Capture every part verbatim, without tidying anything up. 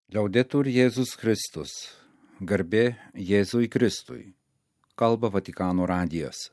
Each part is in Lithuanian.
Liaudetur Jėzus Kristus, garbė Jėzui Kristui, kalba Vatikano radijas.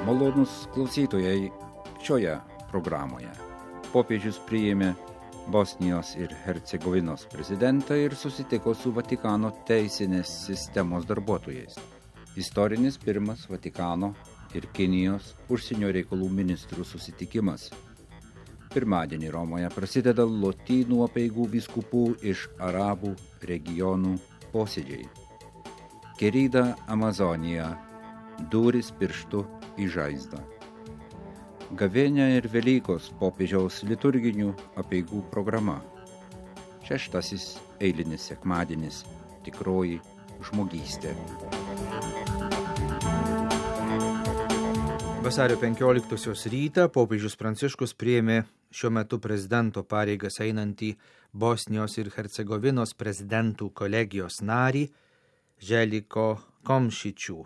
Malonūs klausytojai, šioje programoje popiežius priėmė Bosnijos ir Hercegovinos prezidentą ir susitiko su Vatikano teisinės sistemos darbuotojais. Istorinis pirmas Vatikano ir Kinijos užsienio reikalų ministrų susitikimas. Pirmadienį Romoje prasideda Lotynų apeigų vyskupų iš arabų regionų posėdžiai. Querida Amazonija, durys pirštu į žaizdą. Gavėnia ir Velykos popiežiaus liturginių apeigų programa. Šeštasis eilinis sekmadienis, tikroji žmogystė. Vasario penkioliktosios rytą popiežius Pranciškus priėmė šiuo metu prezidento pareigas einantį Bosnijos ir Hercegovinos prezidentų kolegijos narį Željko Komšičių.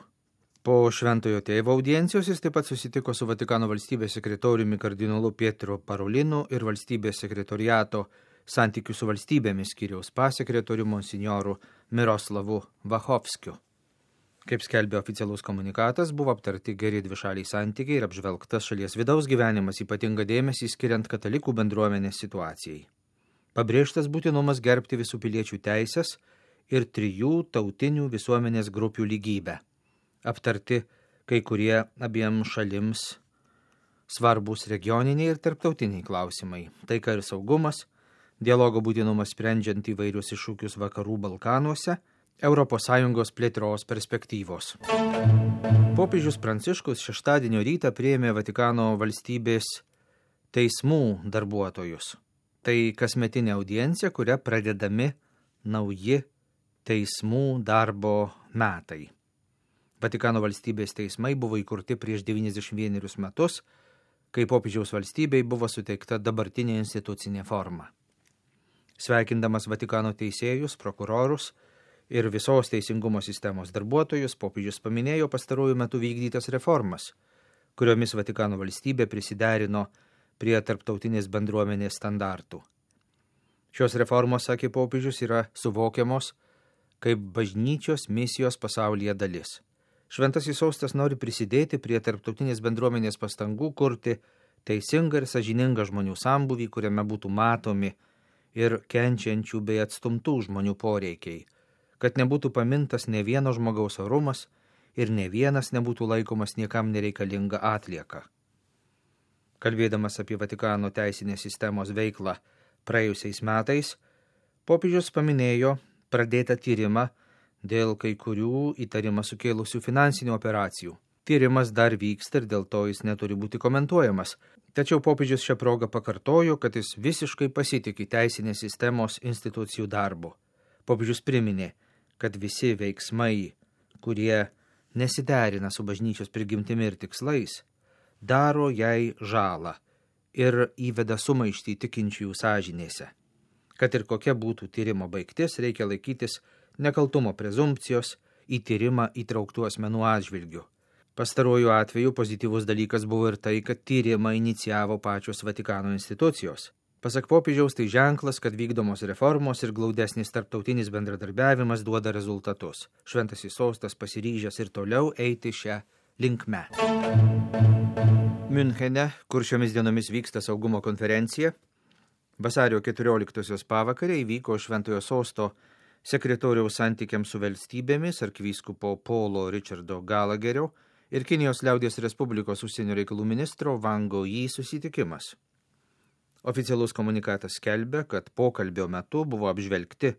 Po Šventojo Tėvo audiencijos jis taip pat susitiko su Vatikano valstybės sekretoriumi kardinolu Pietro Parolinu ir valstybės sekretoriato santykių su valstybėmis skyriaus pasekretoriu monsinjoru Miroslavu Vachovskiu. Kaip skelbė oficialus komunikatas, buvo aptarti geri dvišaliai santykiai ir apžvelgtas šalies vidaus gyvenimas, ypatingą dėmesį skiriant katalikų bendruomenės situacijai. Pabrėžtas būtinumas gerbti visų piliečių teisės ir trijų tautinių visuomenės grupių lygybę. Aptarti kai kurie abiem šalims svarbus regioniniai ir tarptautiniai klausimai, taika ir saugumas, dialogo būtinumas sprendžiant įvairius iššūkius vakarų Balkanuose, Europos Sąjungos plėtros perspektyvos. Popiežius Pranciškus šeštadienio rytą priėmė Vatikano valstybės teismų darbuotojus. Tai kasmetinė audiencija, kuria pradedami nauji teismų darbo metai. Vatikano valstybės teismai buvo įkurti prieš devyniasdešimt vienerius metus, kai popiežiaus valstybei buvo suteikta dabartinė institucinė forma. Sveikindamas Vatikano teisėjus, prokurorus ir visos teisingumo sistemos darbuotojus, popiežius paminėjo pastarųjų metų vykdytas reformas, kuriomis Vatikano valstybė prisiderino prie tarptautinės bendruomenės standartų. Šios reformos, sakė popiežius, yra suvokiamos kaip bažnyčios misijos pasaulyje dalis. Šventasis sostas nori prisidėti prie tarptautinės bendruomenės pastangų kurti teisingą ir sąžiningą žmonių sambūvį, kuriame būtų matomi ir kenčiančių bei atstumtų žmonių poreikiai, kad nebūtų pamintas ne vieno žmogaus orumas ir ne vienas nebūtų laikomas niekam nereikalinga atlieka. Kalbėdamas apie Vatikano teisinės sistemos veiklą praėjusiais metais, popiežius paminėjo pradėtą tyrimą dėl kai kurių įtarimą sukėlusių finansinių operacijų. Tyrimas dar vyksta ir dėl to jis neturi būti komentuojamas. Tačiau popiežius šią progą pakartojo, kad jis visiškai pasitiki teisinės sistemos institucijų darbu. Popiežius priminė, kad visi veiksmai, kurie nesiderina su bažnyčios prigimtimi ir tikslais, daro jai žalą ir įveda sumaištį tikinčiųjų sąžinėse. Kad ir kokia būtų tyrimo baigtis, reikia laikytis nekaltumo prezumpcijos į tyrimą įtrauktų asmenų atžvilgių. Pastaruoju atveju pozityvus dalykas buvo ir tai, kad tyrimą inicijavo pačios Vatikano institucijos. Pasak popiežiaus, tai ženklas, kad vykdomos reformos ir glaudesnis tarptautinis bendradarbiavimas duoda rezultatus. Šventasis sostas pasiryžęs ir toliau eiti šią linkme. Miunchene, kur šiomis dienomis vyksta saugumo konferencija, vasario keturioliktosios pavakarė įvyko Šventojo sosto sekretoriaus santykiams su valstybėmis arkivyskupo Paulo Richardo Gallagherio ir Kinijos liaudies Respublikos užsienio reikalų ministro Wang Yi susitikimas. Oficialus komunikatas skelbia, kad pokalbio metu buvo apžvelgti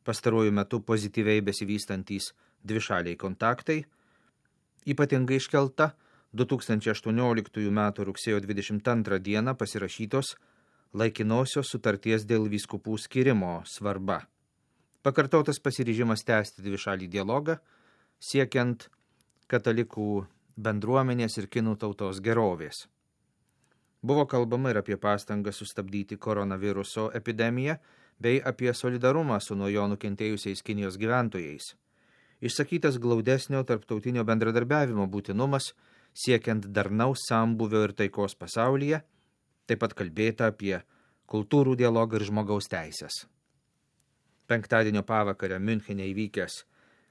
pastaruoju metu pozityviai besivystantys dvišaliai kontaktai, ypatingai iškelta du tūkstančiai aštuonioliktųjų metų rugsėjo dvidešimt antrą dieną pasirašytos laikinosios sutarties dėl vyskupų skyrimo svarba. Pakartotas pasiryžimas tęsti dvišalį dialogą, siekiant katalikų bendruomenės ir kinų tautos gerovės. Buvo kalbama ir apie pastangą sustabdyti koronaviruso epidemiją, bei apie solidarumą su nuo jo nukentėjusiais Kinijos gyventojais. Išsakytas glaudesnio tarptautinio bendradarbiavimo būtinumas, siekiant darnaus sambūvio ir taikos pasaulyje, Taip pat kalbėta apie kultūrų dialogą ir žmogaus teisės. Penktadienio pavakarę Miunchene įvykęs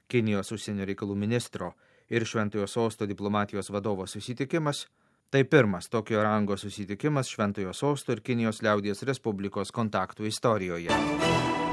Kinijos užsienio reikalų ministro ir Šventojo Sosto diplomatijos vadovo susitikimas – tai pirmas tokio rango susitikimas Šventojo Sosto ir Kinijos liaudies Respublikos kontaktų istorijoje.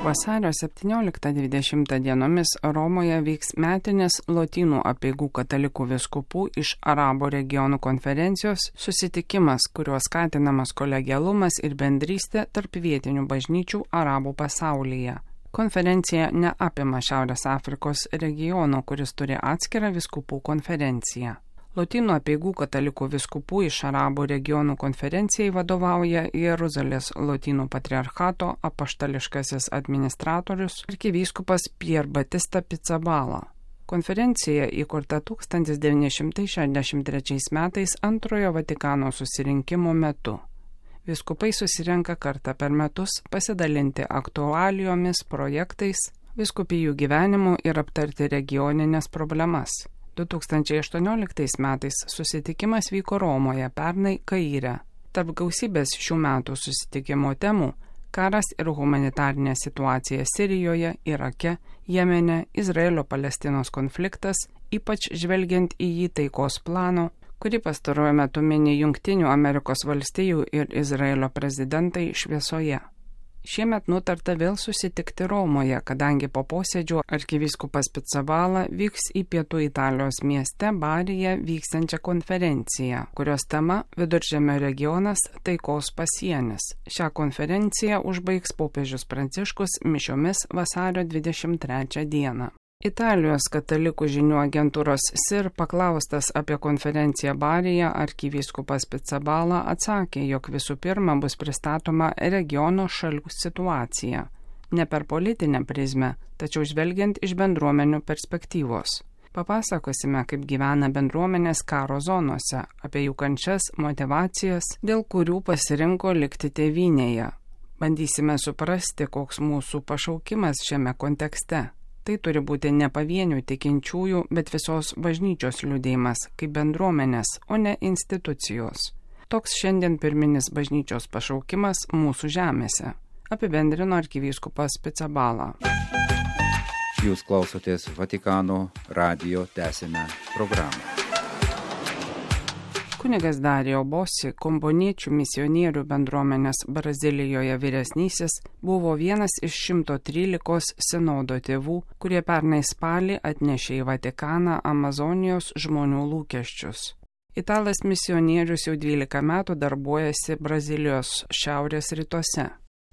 Vasario septynioliktą dvidešimtą dienomis Romoje vyks metinis Lotynų apeigų katalikų vyskupų iš Arabų regionų konferencijos susitikimas, kuriuo skatinamas kolegialumas ir bendrystė tarp vietinių bažnyčių Arabų pasaulyje. Konferencija neapima Šiaurės Afrikos regiono, kuris turi atskirą vyskupų konferenciją. Lotynų apeigų katalikų vyskupų iš Arabų regionų konferencijai vadovauja Jeruzalės Lotynų patriarchato apaštališkasis administratorius arkivyskupas Pier Batista Pizzaballa. Konferencija įkurta tūkstantis devyni šimtai šešiasdešimt trečiais metais antrojo Vatikano susirinkimo metu. Vyskupai susirenka kartą per metus pasidalinti aktualijomis, projektais, vyskupijų gyvenimu ir aptarti regioninės problemas. du tūkstančiai aštuonioliktais metais susitikimas vyko Romoje, pernai Kaire. Tarp gausybės šių metų susitikimo temų – karas ir humanitarinė situacija Sirijoje, Irake, Jemene, Izraelio-Palestinos konfliktas, ypač žvelgiant į jį taikos plano, kurį pastaruoju metu mini Jungtinių Amerikos valstijų ir Izraelio prezidentai šviesoje. Šiemet nutarta vėl susitikti Romoje, kadangi po posėdžio arkivyskupas Pizzaballa vyks į pietų Italijos mieste Baryje vyksiančią konferenciją, kurios tema Viduržemio regionas taikos pasienis. Šią konferenciją užbaigs popiežius Pranciškus mišiomis vasario dvidešimt trečią dieną. Italijos katalikų žinių agentūros S I R paklaustas apie konferenciją Baryje, arkivyskupas Pizzaballa atsakė, jog visų pirma bus pristatoma regiono šalių situacija, ne per politinę prizmę, tačiau žvelgiant iš bendruomenių perspektyvos. Papasakosime, kaip gyvena bendruomenės karo zonose, apie jų kančias, motivacijas, dėl kurių pasirinko likti tėvynėje. Bandysime suprasti, koks mūsų pašaukimas šiame kontekste. Tai turi būti ne pavienių tikinčiųjų, bet visos bažnyčios liudėjimas, kaip bendruomenės, o ne institucijos. Toks šiandien pirminis bažnyčios pašaukimas mūsų žemėse, apibendrino arkivyskupas Pizzaballa. Jūs klausotės Vatikano radijo, tęsime programą. Kunigas Dario Bossi, komboniečių misionierių bendruomenės Brazilijoje vyresnysis, buvo vienas iš šimto trylikos sinodo tėvų, kurie pernai spalį atnešė į Vatikaną Amazonijos žmonių lūkesčius. Italas misionierius jau dvylika metų darbuojasi Brazilijos šiaurės rytuose.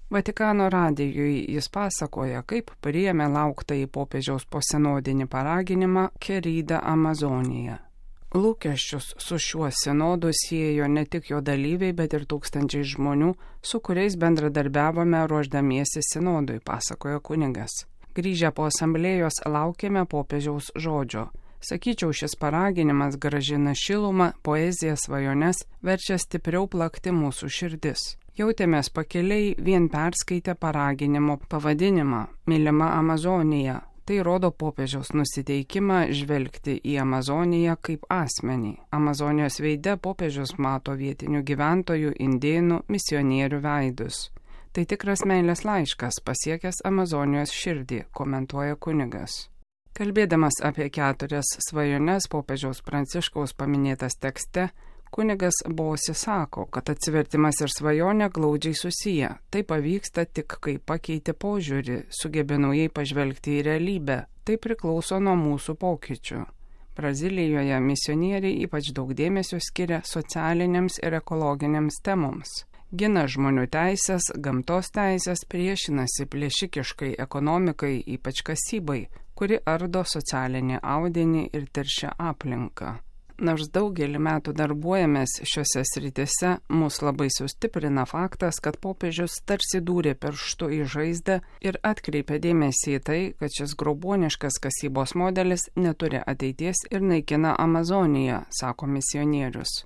Vatikano radijui jis pasakoja, kaip priėmė lauktąjį popiežiaus posinodinį paraginimą Querida Amazonija. Lūkesčius su šiuo sinodu siejo ne tik jo dalyviai, bet ir tūkstančiai žmonių, su kuriais bendradarbiavome ruošdamiesi sinodui, pasakojo kunigas. Grįžę po asamblėjos laukėme popiežiaus žodžio. Sakyčiau, šis paraginimas grąžina šilumą, poeziją, svajones, verčia stipriau plakti mūsų širdis. Jautėmės pakeliai vien perskaitę paraginimo pavadinimą Mylima Amazonija. Tai rodo popiežiaus nusiteikimą žvelgti į Amazoniją kaip asmenį. Amazonijos veide popiežius mato vietinių gyventojų, indėnų, misionierių veidus. Tai tikras meilės laiškas pasiekęs Amazonijos širdį, komentuoja kunigas. Kalbėdamas apie keturias svajones popiežiaus Pranciškaus paminėtas tekste, kunigas Bossi sako, kad atsivertimas ir svajonė glaudžiai susiję. Tai pavyksta tik, kai pakeiti požiūrį, sugebė naujai pažvelgti į realybę. Tai priklauso nuo mūsų pokyčių. Brazilijoje misionieriai ypač daug dėmesio skiria socialinėms ir ekologinėms temoms. Gina žmonių teisės, gamtos teisės, priešinasi plėšikiškai ekonomikai, ypač kasybai, kuri ardo socialinį audinį ir teršia aplinką. Nors daugelį metų darbuojamės šiuose srityse, mus labai sustiprina faktas, kad popiežius tarsi dūrė pirštu į žaizdą ir atkreipė dėmesį į tai, kad šis grobuoniškas kasybos modelis neturi ateities ir naikina Amazoniją, sako misionierius.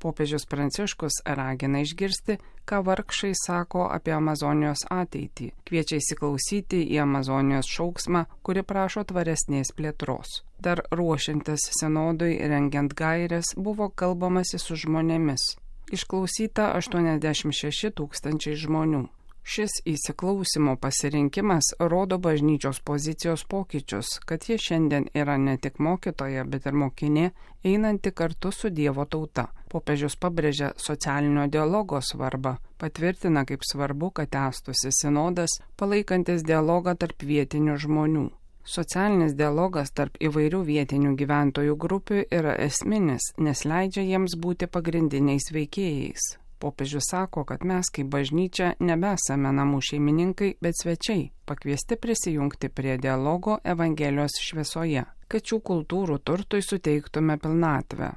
Popiežius Pranciškus ragina išgirsti, ką vargšai sako apie Amazonijos ateitį, kviečia įsiklausyti į Amazonijos šauksmą, kuri prašo tvaresnės plėtros. Dar ruošiantis sinodui rengiant gaires buvo kalbamasi su žmonėmis. Išklausyta aštuoniasdešimt šeši tūkstančiai žmonių. Šis įsiklausimo pasirinkimas rodo bažnyčios pozicijos pokyčius, kad ji šiandien yra ne tik mokytoja, bet ir mokinė, einanti kartu su Dievo tauta. Popiežius pabrėžia socialinio dialogo svarbą, patvirtina, kaip svarbu, kad tęstųsi sinodas, palaikantis dialogą tarp vietinių žmonių. Socialinis dialogas tarp įvairių vietinių gyventojų grupių yra esminis, nes leidžia jiems būti pagrindiniais veikėjais. Popiežius sako, kad mes kaip bažnyčia nebesame namų šeimininkai, bet svečiai, pakviesti prisijungti prie dialogo Evangelijos šviesoje, kad šių kultūrų turtui suteiktume pilnatvę.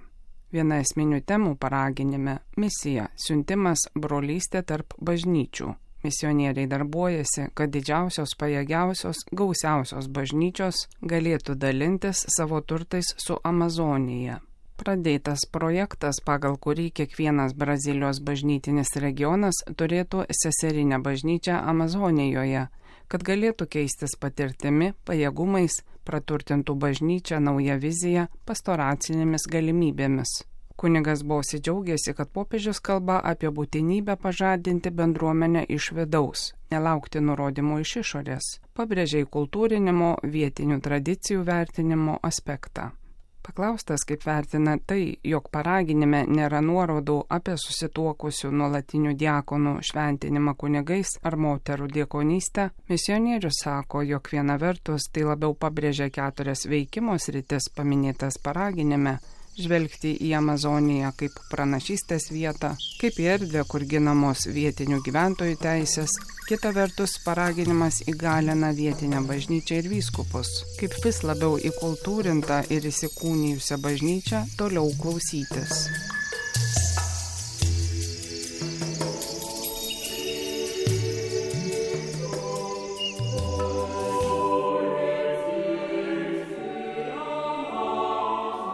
Viena esminių temų paraginime – misija, siuntimas, brolystė tarp bažnyčių. Misionieriai darbuojasi, kad didžiausios, pajėgiausios, gausiausios bažnyčios galėtų dalintis savo turtais su Amazonija. Pradėtas projektas, pagal kurį kiekvienas Brazilijos bažnytinis regionas turėtų seserinę bažnyčią Amazonijoje, kad galėtų keistis patirtimi, pajėgumais, praturtintų bažnyčią naują viziją, pastoracinėmis galimybėmis. Kunigas Bosi džiaugiasi, kad popiežius kalba apie būtinybę pažadinti bendruomenę iš vidaus, nelaukti nurodymų iš išorės, pabrėžia kultūrinimo, vietinių tradicijų vertinimo aspektą. Paklaustas, kaip vertina tai, jog paraginime nėra nuorodų apie susituokusių nuolatinių diakonų šventinimą kunigais ar moterų diakonystę, misionierius sako, jog viena vertus tai labiau pabrėžia keturias veikimo sritis paminėtas paraginime, žvelgti į Amazoniją kaip pranašystės vietą, kaip į erdvę, kur ginamos vietinių gyventojų teisės, kita vertus paraginimas įgalina vietinę bažnyčią ir vyskupus, kaip vis labiau įkultūrintą ir įsikūnijusią bažnyčią toliau klausytis.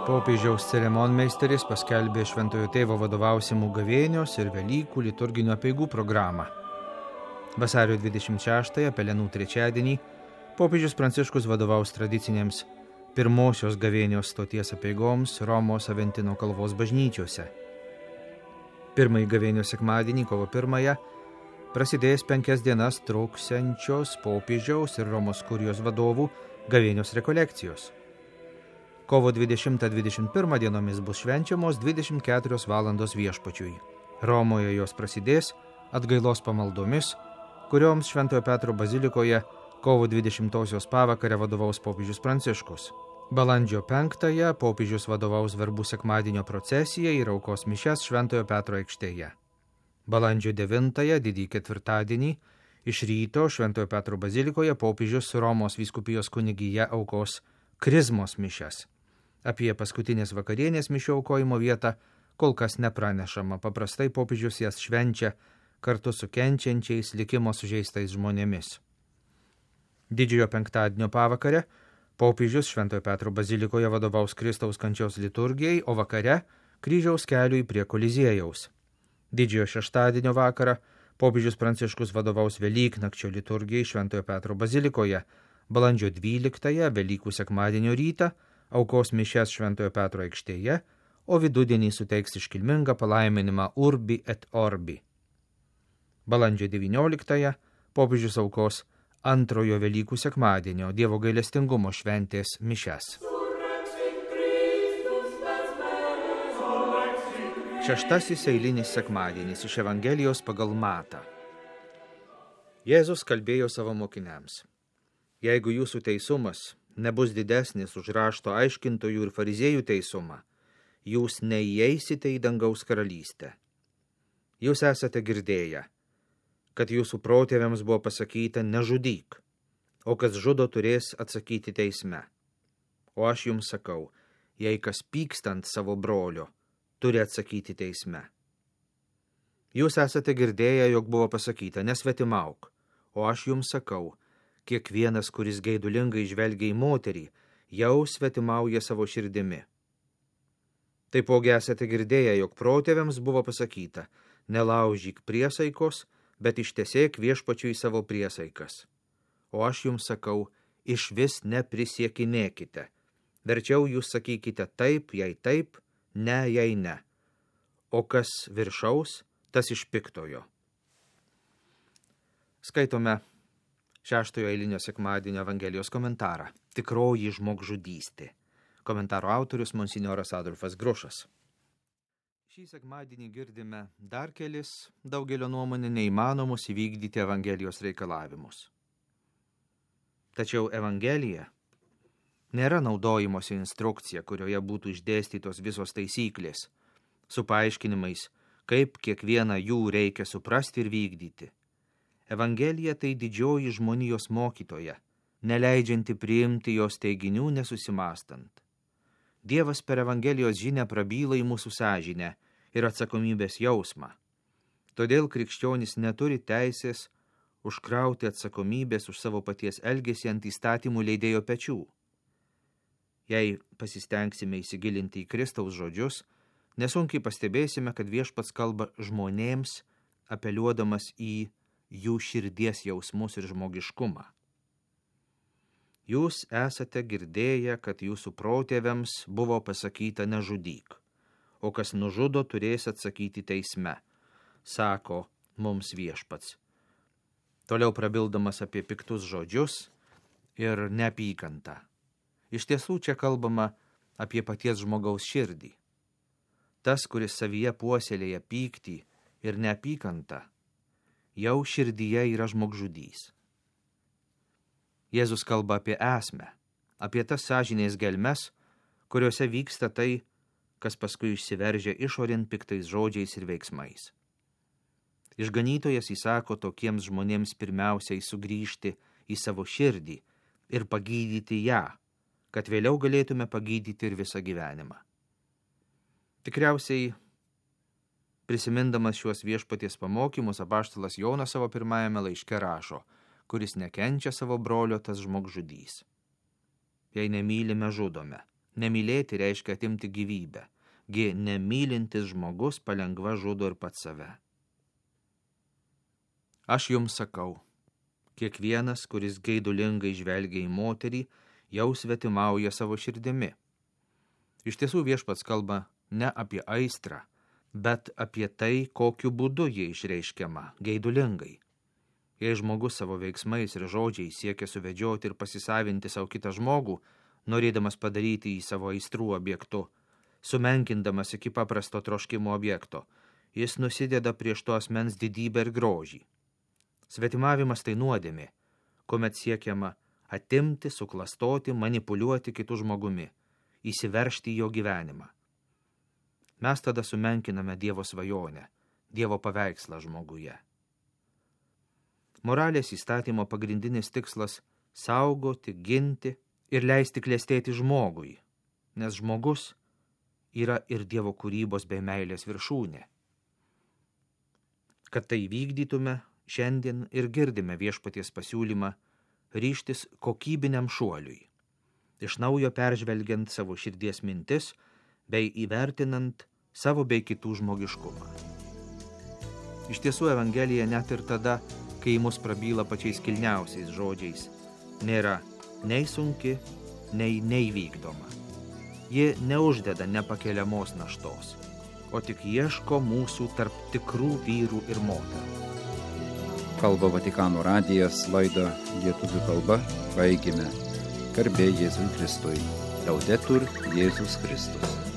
Popiežiaus ceremonmeisteris paskelbė Šventojo Tėvo vadovausimų gavėnios ir Velykų liturginių apeigų programą. Vasario dvidešimt šeštąją, Pelenų trečiadienį, popiežius Pranciškus vadovaus tradicinėms pirmosios gavėnios stoties apeigoms Romos Aventino kalvos bažnyčiose. Pirmąjį gavėnios sekmadienį, kovo pirmąją, prasidės penkias dienas truksiančios popiežiaus ir Romos kurijos vadovų gavėnios rekolekcijos. Kovo dvidešimtą dvidešimt pirmą dienomis bus švenčiamos dvidešimt keturios valandos viešpačiui. Romoje jos prasidės atgailos pamaldomis, kurioms Šventojo Petro bazilikoje kovo dvidešimtosios pavakarę vadovaus popiežius Pranciškus. Balandžio penktąją popiežius vadovaus verbų sekmadienio procesijai ir aukos mišias Šventojo Petro aikštėje. Balandžio devintąją, didįjį ketvirtadienį, iš ryto Šventojo Petro bazilikoje popiežius Romos vyskupijos kunigija aukos krizmos mišias. Apie paskutinės vakarienės mišių aukojimo vietą kol kas nepranešama, paprastai popiežius jas švenčia kartu su kenčiančiais likimo sužeistais žmonėmis. Didžiojo penktadienio pavakare popiežius Šventojo Petro bazilikoje vadovaus Kristaus kančios liturgijai, o vakare kryžiaus keliui prie Koliziejaus. Didžiojo šeštadienio vakarą popiežius Pranciškus vadovaus Velyknakčio liturgijai Šventojo Petro bazilikoje, balandžio dvyliktąją, Velykų sekmadienio rytą, aukos mišias Šventojo Petro aikštėje, o vidudienį suteiks iškilmingą palaiminimą Urbi et Orbi. Balandžio devynioliktąją popiežius aukos antrojo Velykų sekmadienio Dievo gailestingumo šventės mišias. Šeštasis eilinis sekmadienis iš Evangelijos pagal Matą. Jėzus kalbėjo savo mokiniams: Jeigu jūsų teisumas nebus didesnis už rašto aiškintojų ir fariziejų teisumą, jūs neįeisite į dangaus karalystę. Jūs esate girdėję, kad jūsų protėviams buvo pasakyta nežudyk, o kas žudo turės atsakyti teisme. O aš jums sakau, jei kas pykstant savo brolio, turi atsakyti teisme. Jūs esate girdėję, jog buvo pasakyta nesvetimauk, o aš jums sakau, kiekvienas, kuris geidulingai žvelgia į moterį, jau svetimauja savo širdimi. Taipogi esate girdėję, jog protėviams buvo pasakyta, nelaužyk priesaikos, bet ištesėk viešpačiui savo priesaikas. O aš jums sakau, išvis neprisiekinėkite. Verčiau jūs sakykite taip, jei taip, ne, jei ne. o kas viršaus, tas iš piktojo. Skaitome šeštojo eilinio sekmadienio Evangelijos komentarą. Tikroji žmogžudystė. Komentaro autorius monsinjoras Adolfas Grušas. Šį sekmadienį girdime dar kelis daugelio nuomonė neįmanomus įvykdyti Evangelijos reikalavimus. Tačiau Evangelija nėra naudojimosi instrukcija, kurioje būtų išdėstytos visos taisyklės, su paaiškinimais, kaip kiekvieną jų reikia suprasti ir vykdyti. Evangelija tai didžioji žmonijos mokytoja, neleidžianti priimti jos teiginių nesusimastant. Dievas per Evangelijos žinią prabyla į mūsų sąžinę ir atsakomybės jausmą. Todėl krikščionis neturi teisės užkrauti atsakomybės už savo paties elgesį ant įstatymų leidėjo pečių. Jei pasistengsime įsigilinti į Kristaus žodžius, nesunkiai pastebėsime, kad viešpats kalba žmonėms, apeliuodamas į jų širdies jausmus ir žmogiškumą. Jūs esate girdėję, kad jūsų protėviams buvo pasakyta nežudyk, o kas nužudo turės atsakyti teisme, sako mums viešpats. Toliau prabildamas apie piktus žodžius ir neapykantą. Iš tiesų čia kalbama apie paties žmogaus širdį. Tas, kuris savyje puoselėja pyktį ir neapykantą, jau širdyje yra žmogžudys. Jėzus kalba apie esmę, apie tas sąžinės gelmes, kuriuose vyksta tai, kas paskui išsiveržia išorėn piktais žodžiais ir veiksmais. Išganytojas įsako tokiems žmonėms pirmiausiai sugrįžti į savo širdį ir pagydyti ją, kad vėliau galėtume pagydyti ir visą gyvenimą. Tikriausiai, prisimindamas šiuos viešpaties pamokymus, apaštalas Jonas savo pirmajame laiške rašo, kuris nekenčia savo brolio, tas žmogžudys. Jei nemylime, žudome. Nemylėti reiškia atimti gyvybę. Gi nemylintis žmogus palengva žudo ir pats save. Aš jums sakau, kiekvienas, kuris geidulingai žvelgia į moterį, jau svetimauja savo širdimi. Iš tiesų viešpats kalba ne apie aistrą, bet apie tai, kokiu būdu jie išreiškiama, geidulingai. Jei žmogus savo veiksmais ir žodžiais siekia suvedžioti ir pasisavinti savo kitą žmogų, norėdamas padaryti jį savo aistrų objektu, sumenkindamas iki paprasto troškimo objekto, jis nusideda prieš to asmens didybę ir grožį. Svetimavimas tai nuodėmė, kuomet siekiama atimti, suklastoti, manipuliuoti kitų žmogumi, įsiveržti į jo gyvenimą. Mes tada sumenkiname Dievo svajonę, Dievo paveikslą žmoguje. Moralės įstatymo pagrindinis tikslas – saugoti, ginti ir leisti klestėti žmogui, nes žmogus yra ir Dievo kūrybos bei meilės viršūnė. Kad tai vykdytume, šiandien ir girdime viešpaties pasiūlymą ryžtis kokybiniam šuoliui, iš naujo peržvelgiant savo širdies mintis bei įvertinant savo bei kitų žmogiškumą. Iš tiesų Evangelija net ir tada, kai mus prabyla pačiais kilniausiais žodžiais, nėra nei sunki, nei neįvykdoma. Ji neuždeda nepakeliamos naštos, o tik ieško mūsų tarp tikrų vyrų ir moterų. Kalba Vatikano radijas, laidą lietuvių kalba, baigime. Garbė Jėzui Kristui. Laudetur Jėzus Kristus.